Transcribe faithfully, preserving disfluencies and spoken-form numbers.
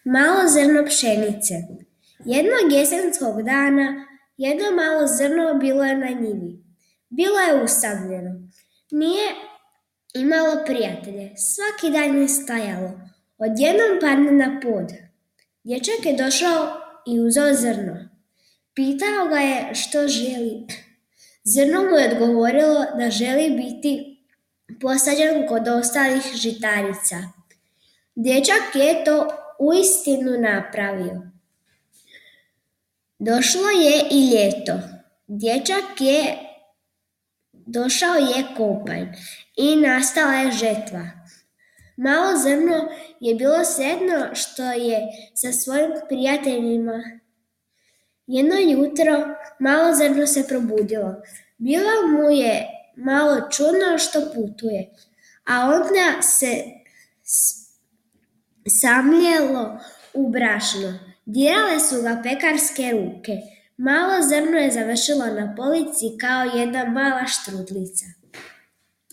Malo zrno pšenice. Jednog jesenskog dana jedno malo zrno bilo je na njivi. Bilo je usamljeno. Nije imalo prijatelje. Svaki dan je stajalo. Odjednom padne na pod. Dječak je došao i uzeo zrno. Pitao ga je što želi. Zrno mu je odgovorilo da želi biti posađen kod ostalih žitarica. Dječak je to uistinu napravio. Došlo je i ljeto. Dječak je došao je kopanj i nastala je žetva. Malo zrno je bilo sretno što je sa svojim prijateljima. Jedno jutro malo zrno se probudilo. Bilo mu je malo čudno što putuje, a onda se samljelo u brašno. Dirale su ga pekarske ruke. Malo zrno je završilo na polici kao jedna mala štrudlica.